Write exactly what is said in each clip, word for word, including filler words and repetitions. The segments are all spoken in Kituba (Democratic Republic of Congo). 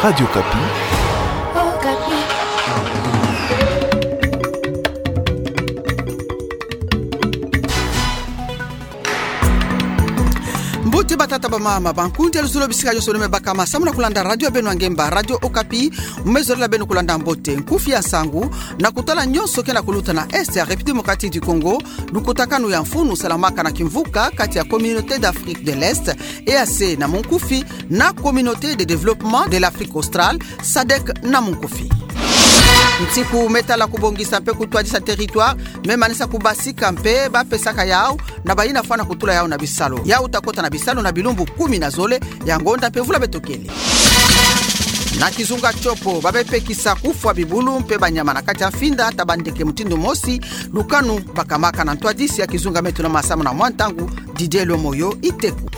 Radio Okapi. Mbote batata, bamama, bankundi ya luzolo, bisika nyonso beno me bakama samu na kulanda radio ya beno ya ngemba, Radio Okapi. Mu me zolele beno kulanda mbote nkufi ya nsangu na kutala nyonso ke na kuluta na Est ya République Démocratique du Congo, lukutakanu ya mfunu salamaka na kimvuka kati ya Communauté d'Afrique de l'Est, E A C na munkufi, na Communauté de Développement de l'Afrique Australe, SADC na munkufi. Ntiku me tala kubongisa mpe kutwadisa territoire me manisa kubasika mpe ba pesaka yau na bayina fwana kutula yau na bisalu. Yau ta kota na bisalu na bilumbu kumi na zole ya ngonda mpe mvula beto kele. Na kizunga Tshopo, ba me pekisa kufwa bibulu mpe banyama na kati ya mfinda ta bandeke mutindu mosi. Lukanu bakamaka na ntwadisi ya kizunga me tuna masamu na mwa ntangu, Didier Lomoyo Iteku.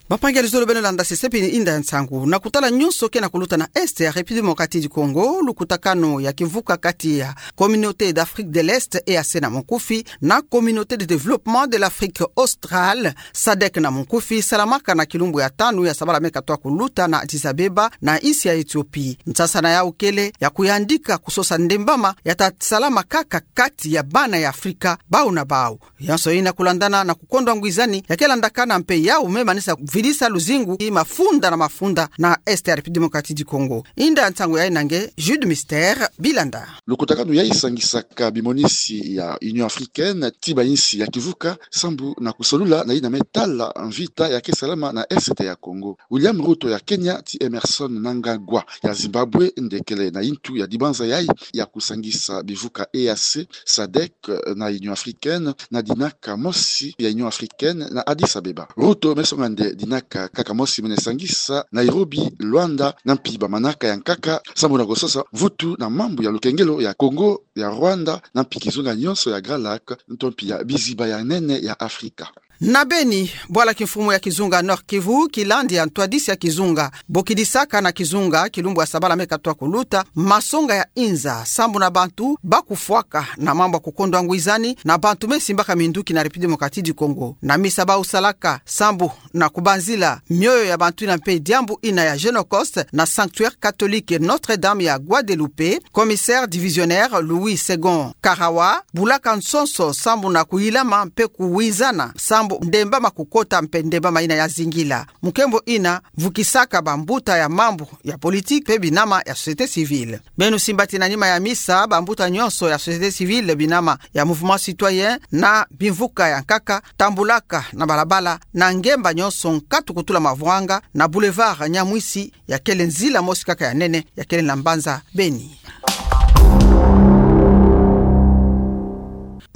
Bampangi ya luzolo, beno landa sesepi inda ya nsangu na kutala nyonso ke na kuluta na Est ya République Démocratique du Congo. Lukutakanu ya kimvuka kati ya Communauté d'Afrique de l'Est, E A C na munkufi, na Communauté de Développement de l'Afrique Australe, SADC na munkufi, salamaka na kilumbu ya tanu ya sabala me katoa kuluta na Addis Abeba, na insi ya Ethiopie. Nsasana yau kele ya kuyandika kusosa ndembama ya ta salama kaka kati ya bana ya Afrika, bau na bau. Nyonso ina kulandana na kukondwa ngwizani ya ke landakana mpe yau me manisa vidisa luzingu i mafunda na mafunda na Est ya République Démocratique du Congo. Inda ya nsangu ya ina nge Jude Mister Bilanda. Lukutakanu yai sangisaka bimonisi ya Union Africaine ti bayinsi ya kivuka sambu na kusolula na yina me tala mvita ya ke salama na Est ya Congo. William Ruto ya Kenya ti Emmerson Mnangagwa ya Zimbabwe nde kele na yintu ya dibanza yai ya kusangisa bivuka E A C, SADC na Union Africaine na dinaka mosi ya Union Africaine na Addis Abeba. Ruto me songa nde dinaka kaka mosi mene sangisa Nairobi, Luanda, na mpi bamanaka ya nkaka sambu na kusosa mvutu na mambu ya lukengelo ya Congo, ya Rwanda, na mpi kizunga nyonso ya Grand Lac, nto mpi ya biziba ya nene ya Afrika. Na Beni, bwala kimfumu ya kizunga Nord-Kivu kilandi ya ntwadisi ya kizunga bokidisaka na kizunga kilumbu ya sabala me katoa kuluta masonga ya inza sambu na bantu ba kufwaka na mambu ya kukondwa ngwizani na bantu me simbaka minduki na République Démocratique du Congo. Na misa bau salaka sambu na kubanzila mioyo ya bantu ina mpe diambu ina ya Genocost na sanctuaire catholique Notre-Dame ya Guadeloupe, commissaire divisionnaire Louis Segond Karawa bulaka nsonso sambu na kuyilama mpe kuwizana sambu ndembama kukota mpe ndembama ina ya zingila. Mukembo ina vukisaka bambuta ya mambu ya politique mpe binama ya société civile. Beno simba ti na nima ya misa, bambuta nyonso ya société civile, binama ya mouvement citoyen na bimvuka ya nkaka tambulaka na balabala na ngemba nyonso nkatu kutula mavwanga na boulevard Nyamwisi, ya kele nzila mosi kaka ya nene ya kele na mbanza Beni.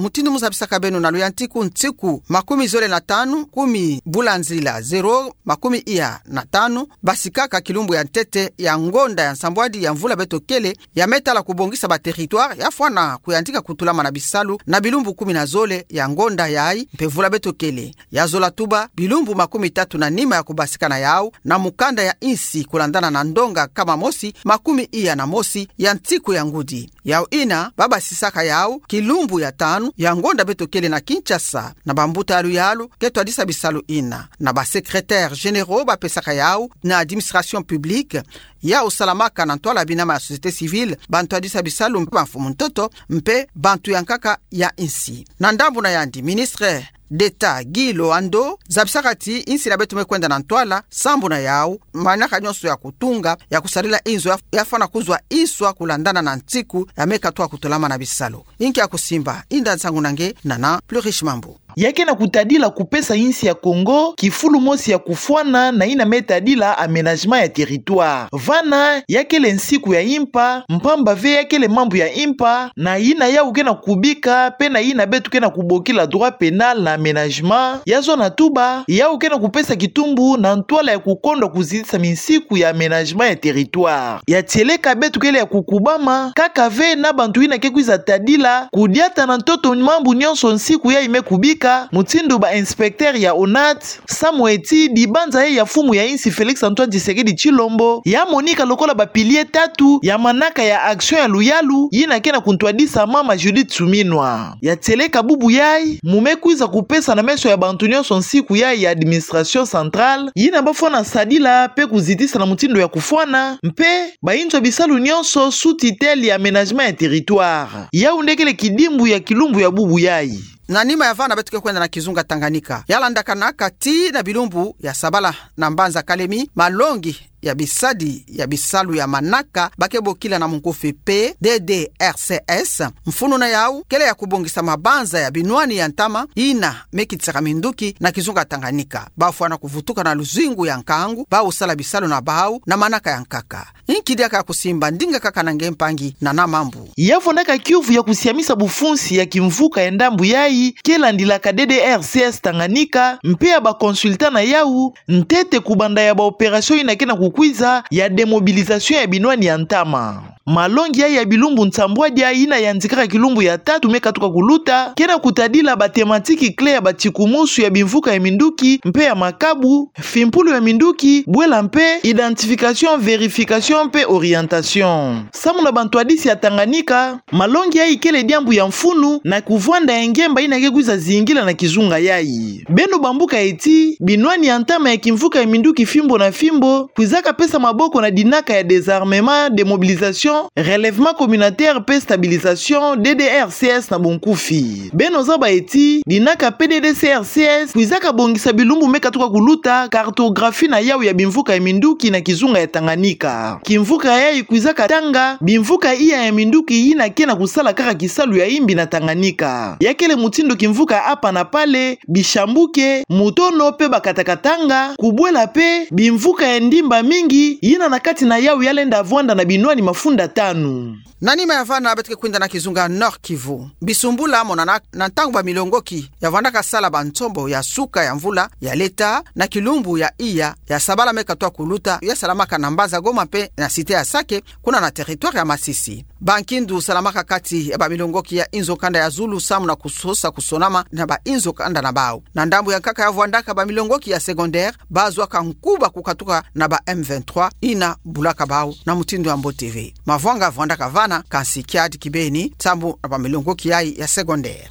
Mutindu mu zabisaka beno na luyantiku, ntiku makumi zole na tanu, kumi bula nzila zero makumi iya na tanu, basikaka kilumbu ya ntete ya ngonda ya nsambwadi ya mvula beto kele, ya me tala kubongisa ba territoire ya fwana kuyantika kutulama na bisalu na bilumbu kumi na zole ya ngonda yai mpe mvula beto kele. Ya zola tuba bilumbu makumi tatu na nima ya kubasika na yau na mukanda ya insi kulandana na ndonga nkama mosi makumi iya na mosi ya ntiku ya ngudi. Yau ina, ba basisaka yau kilumbu ya tanu ya ngonda beto kele na Kinshasa, na bambuta ya luyalu ke twadisa bisalu ina, na ba secrétaires généraux ba pesaka yau na administration publique, yau salamaka na ntwala binama ya société civile, ba ntwadisa bisalu mpe bamfumu ntoto, mpe bantu ya nkaka ya insi. Na ndambu na yandi, ministre d'État Guy Loando zabisaka ti insi na beto me kwenda na ntwala, sambu na yau, manaka nyonso ya kutunga, ya kusadila inzo ya, ya fwana kuzwa iswa kulandana na ntiku ya me katwa kutulama na bisalu. Inki ya kusimba, inda nsangu na nge, Nana Plurish Mambu. Ya ke na kutadila kupesa insi ya Congo kifulu mosi ya kufwana na ina me tadila aménagement ya territoire. Vana, ya kele nsiku ya impa, mpamba ve ya kele mambu ya impa, na ina yau ke na kubika, mpe na ina beto ke na kubokila droit pénal na aménagement, ya zona tuba, yau ke na kupesa kitumbu na ntwala ya kukondwa kuzitisa minsiku ya aménagement ya territoire. Ya tieleka beto kele ya kukubama, kaka ve na bantu ina ke kwiza tadila, kudiata na ntoto mambu nyonso nsiku yai me kubika, Ka mutindu ba inspecteur ya ONATRA, samu eti dibanza ya, ya mfumu ya insi Félix Antoine Tshisekedi Tshilombo, ya monika lokola ba piliers tatu ya manaka ya action ya luyalu, yina ke na kuntwadisa mama Judith Suminwa. Ya tieleka bubu yayi, mu me kwiza kupesa na meso ya bantu nyonso nsiku yayi ya administration centrale, yina bafwana sadila pe kuzitisa na mutindu ya kufwana, mpe ba inzo ya bisalu nyonso sous tutelle ya aménagement ya territoire. Yawu nde kele kidimbu ya kilumbu ya bubu yayi. Na nima ya vana beto ke kwenda na kizunga Tanganyika. Ya landakanaka tii na bilumbu ya sabala na mbanza Kalemi, malongi ya bisadi ya bisalu ya manaka ba ke bokila na munkufi P D D R C S, mfunu na yawu kele ya kubongisa mabanza ya binwani ya ntama yina me kitisaka minduki na kizunga Tanganyika. Bafwana kuvutuka na luzingu ya nkangu, bau sala bisalu na bawu na manaka ya nkaka. Inki diaka ya kusimba, ndinga kaka na nge mpangi Nana Mambu. Ya vwandaka kiuvu ya kusiamisa bufunsi ya kimvuka ya ndambu yayi, ke landilaka D D R C S Tanganyika, mpe ya ba consultants na yawu, ntete kubanda ya ba opérations yina ke na kukwiza ya démobilisation ya binwani ya ntama. Malongi yayi ya bilumbu nsambwadi yina yandikaka kilumbu ya tatu me katuka kuluta, ke na kutadila ba thématiques clés ya batikumusu ya bimvuka ya minduki mpe ya makabu, fimpulu ya minduki, bwela mpe identification, vérification mpe orientation. Samu na bantwadisi ya Tanganyika, malongi yayi kele diambu ya mfunu na kuvwanda ya ngemba yina ke kwiza zingila na kizunga yayi. Beno bambuka eti, binwani ya ntama ya kimvuka ya minduki fimbo na fimbo kwizaka pesa maboko na dinaka ya désarmement, démobilisation, relèvement communautaire mpe stabilisation, D D R C S na bunkufi. Beno zaba eti, dinaka P D D R C S kwizaka bongisa bilumbu me katuka kuluta cartographie na yawu ya bimvuka ya minduki na kizunga ya Tanganyika. Kimvuka yayi kwizaka tanga bimvuka iya ya minduki yina ke na kusala kaka kisalu ya imbi na Tanganyika. Ya kele mutindu kimvuka Apa na Pale, Bishambuke, Mutono mpe Bakatakatanga, kubwela mpe bimvuka ya ndimba mingi yina na kati na yawu ya lenda vwanda na binwani mafunda tanu. Na nima ya vana beto ke kwenda na kizunga Nord-Kivu. Bisumbula monanaka na ntangu bamilongoki ya vwandaka sala bansombo ya suka ya mvula ya leta na kilumbu ya iya ya sabala me katuka kuluta, ya salamaka na mbanza Goma mpe na cité ya Sake, kuna na territoire ya Masisi. Bankindu salamaka kati ya bamilongoki ya inzo kanda ya zulu samu na kusosa kusonama na ba inzo kanda na bawu. Na ndambu ya nkaka ya vwandaka bamilongoki ya secondaire, bazwaka nkuba kukatuka na ba M vingt-trois yina bulaka bawu na mutindu ya mbote ve. Mavwanga vwandaka vana, kansi kiadi kibeni samu na bamilongoki yayi ya secondaire.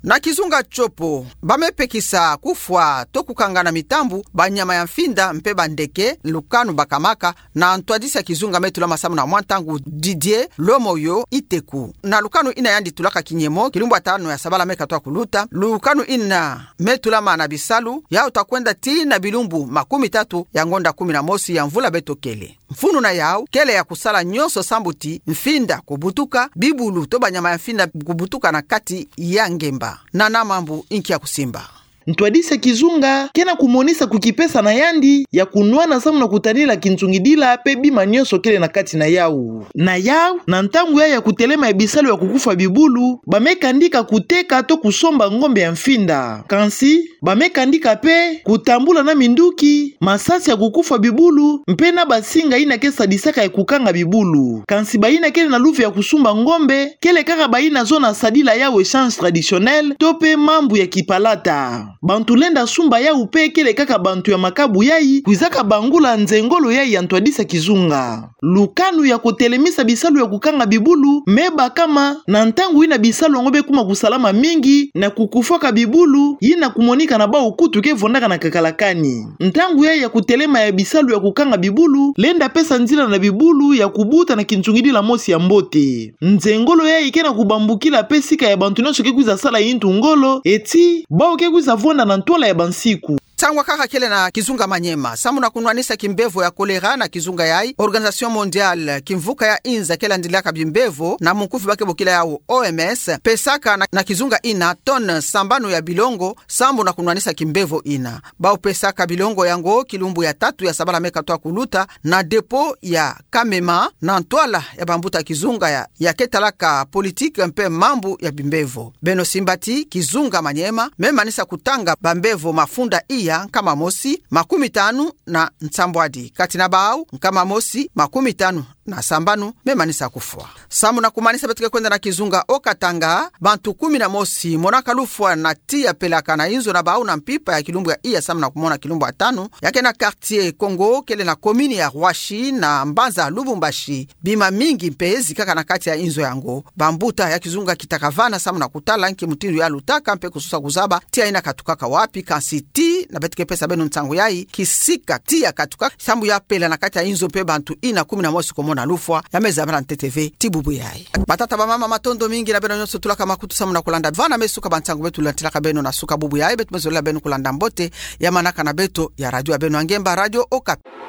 Na kizunga Tshopo, ba me pekisa kufwa to kukanga na mitambu banyama ya mfinda mpe bandeke, lukanu bakamaka na ntwadisi ya kizunga me tulama samu na mwa ntangu Didier Lomoyo Iteku. Na lukanu yina yandi tulaka kinyemo kilumbu ya tanu ya sabala me katuka kuluta, lukanu yina me tulama na bisalu, yawu ta kwenda tii na bilumbu makumi tatu ya ngonda kumi na mosi ya mvula beto kele. Mfunu na yawu kele ya kusala nyonso sambu ti mfinda kubutuka, bibulu to banyama ya mfinda kubutuka na kati ya ngemba. Nana Mambu, inki ya kusimba. Ntwadisi ya kizunga ke na kumonisa kukipesa na yandi ya kunwana samu na kutadila kinsungidila mpe bima nyonso kele na kati na yawu. Na yawu, na ntangu yayi ya kutelema ya bisalu ya kukufa bibulu, ba me kandika kuteka to kusomba ngombe ya mfinda. Kansi, ba me kandika mpe kutambula na minduki, masasi ya kukufa bibulu, mpe na basinga yina ke sadisaka ya kukanga bibulu. Kansi bayina kele na luve ya kusumba ngombe, kele kaka bayina zona sadila yawu échange traditionnel, to mpe mambu ya kipalata. Bantu lenda sumba yawu mpe kele kaka bantu ya makabu yayi kwizaka bangula nzengolo yayi ya ntwadisi ya kizunga. Lukanu ya kutelemisa bisalu ya kukanga bibulu me bakama na ntangu yina bisalu yango be kuma kusalama mingi na kukufaka bibulu, yina kumonika na bawu kutu ke vwandaka na kakalakani. Ntangu yayi ya kutelema ya bisalu ya kukanga bibulu lenda pesa nzila na bibulu ya kubuta na kinsungidila mosi ya mbote. Nzengolo yayi ke na kubambukila mpe sika ya bantu nyonso ke kwiza sala yintu ngolo, eti bawu ke kwiza vwanda na ntwala ya bansiku. Ntangwa kaka kele na kizunga Maniema, samu na kunwanisa kimbevo ya choléra na kizunga yayi, Organisation Mondiale, kimvuka ya inza ke landilaka bimbevo, na munkufi ba ke bokila yawu O M S, pesaka na, na kizunga yina tonne sambanu ya bilongo, sambu na kunwanisa kimbevo yina. Bawu pesaka bilongo yango kilumbu ya tatu ya sabala me katuka kuluta, na dépôt ya Kamema, na ntwala ya bambuta kizunga ya, ya ke talaka politique mpe mambu ya bimbevo. Beno simba ti kizunga Maniema me manisa kutanga bambevo mafunda iya nkama mosi makumi tanu na nsambwadi, kati na bawu nkama mosi makumi tanu na sambanu me manisa kufwa. Samu na kumanisa, beto ke kwenda na kizunga Haut-Katanga, bantu kumi na mosi monaka lufwa na tiya pelaka na inzo na bau na mpimpa ya kilumbu ya iya samu na kumona kilumbu ya tanu, ya ke na quartier Kongo kele na commune ya Roissy na mbanza Lubumbashi. Bima mingi mpe zikaka na kati ya inzo yango. Bambuta ya kizunga kitakavana samu na kutala nki mutindu ya lutaka mpe kusosa kuzaba tiya ina katukaka wapi, kansi tii na beto ke pesa beno nsangu yayi, kisika tiya katukaka sambu ya pela na kati ya inzo mpe bantu ina kumi na mosi komona lufwa, ya me zabala ntete ve tii bubu yayi. Batata, bamama, matondo mingi na beno nyonso tulaka makutu samu na kulanda. Vana me suka ba nsangu beto lantilaka beno na suka bubu yayi, beto me zolila beno kulanda mbote ya manaka na beto ya radio ya beno ya ngemba, Radio Okapi.